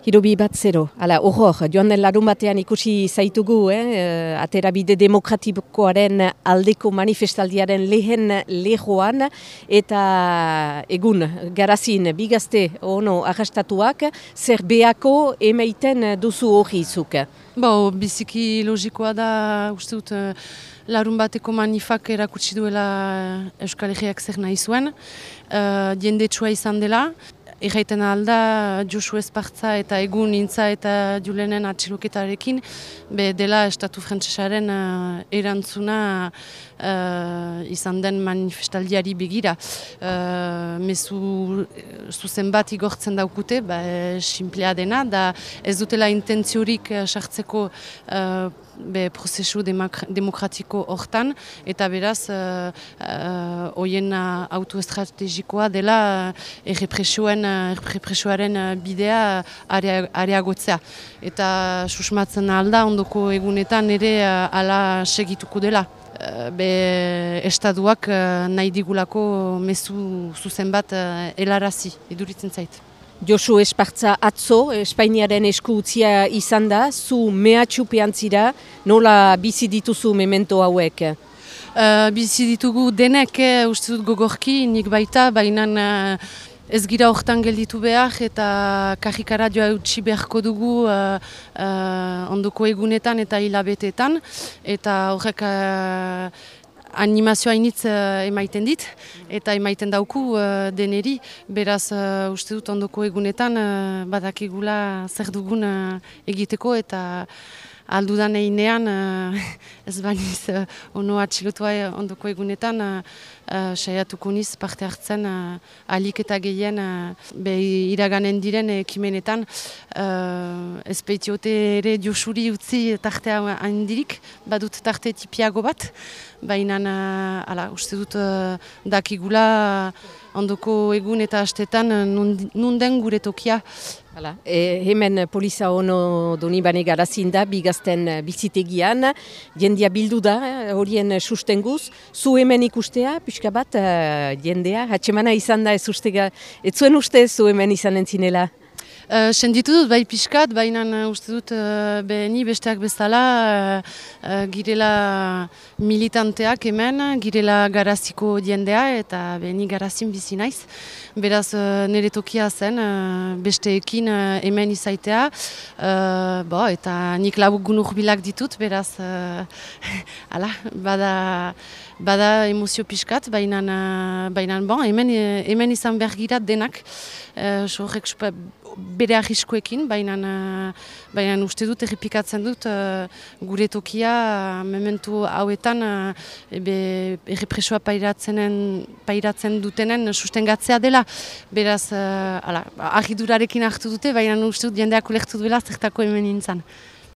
Hirobi bat zero. Hala, horror, joan den larun batean ikusi zaitugu, aterabide demokratikoaren aldeko manifestaldiaren lehen lehoan, eta egun, garazin, bigazte ono arrastatuak, zer beako emeiten duzu hori izuk? Biziki logikoa da, uste dut, larun bateko manifak erakutsi duela Euskal Herriak zer nahi zuen, jendetsua izan dela. Erraiten alda, Josu Espartza eta egun Intza eta Julenen atxiloketarekin, dela Estatu Frantsesaren erantzuna izan den manifestaldiari begira. Mezu zuzen bat igortzen daukute, simplea dena, da ez dutela intentziorik sartzeko prozesu demokratiko hortan, eta beraz, hoien autoestrategikoa dela errepresioaren bidea areagotzea. Eta susmatzen alda, ondoko egunetan ere ala segituko dela. Estaduak nahi digulako mezu zuzen bat helarazi, iduritzen zait. Josu Espartza atzo, Espainiaren esku utzia izan da, zu mehatxupean zira, nola bizi dituzu memento hauek? Bizi ditugu denek, uste dut gogorki, nik baita, baina ez gira hortan gelditu behar eta karrikara joa utzi beharko dugu ondoko egunetan eta hilabeteetan, eta horrek animazioa initz emaiten dit, eta emaiten dauku deneri, beraz uste dut ondoko egunetan badakigula zer dugun egiteko, eta aldudan einean, ez baniz ono atxilotua ondoko egunetan, saiatuko niz parte hartzen ahalik eta gehien iraganen diren ekimenetan. Ez peitiote ere Josuri utzi tartea handirik, badut tarte tipiago bat, baina uste dut dakigula ondoko egun eta astetan nunden gure tokia. Hemen Poliza Ono Donibane garazin da, bigazten bizitegian, jendea bildu da, horien sustenguz. Zu hemen ikustea, pixka bat, jendea, hatxemana izan da ez zuen uste zu hemen izan entzinela? Senditu dut, bai pixkat, baina uste dut ni besteak bezala girela militanteak hemen, girela garaziko jendea, eta ni garazin bizi naiz. Beraz, nire tokia zen, besteekin hemen izaitea, eta nik lagun urbilak ditut, beraz, bada emozio pixkat, baina hemen izan behar gira denak, bere arriskoekin, baina uste dut errepikatzen dut gure tokia momentu hauetan errepresoa pairatzen dutenen sustengatzea dela. Beraz, argidurarekin hartu dute, baina uste dut jendeak ulertu duela zertako hemen nintzen.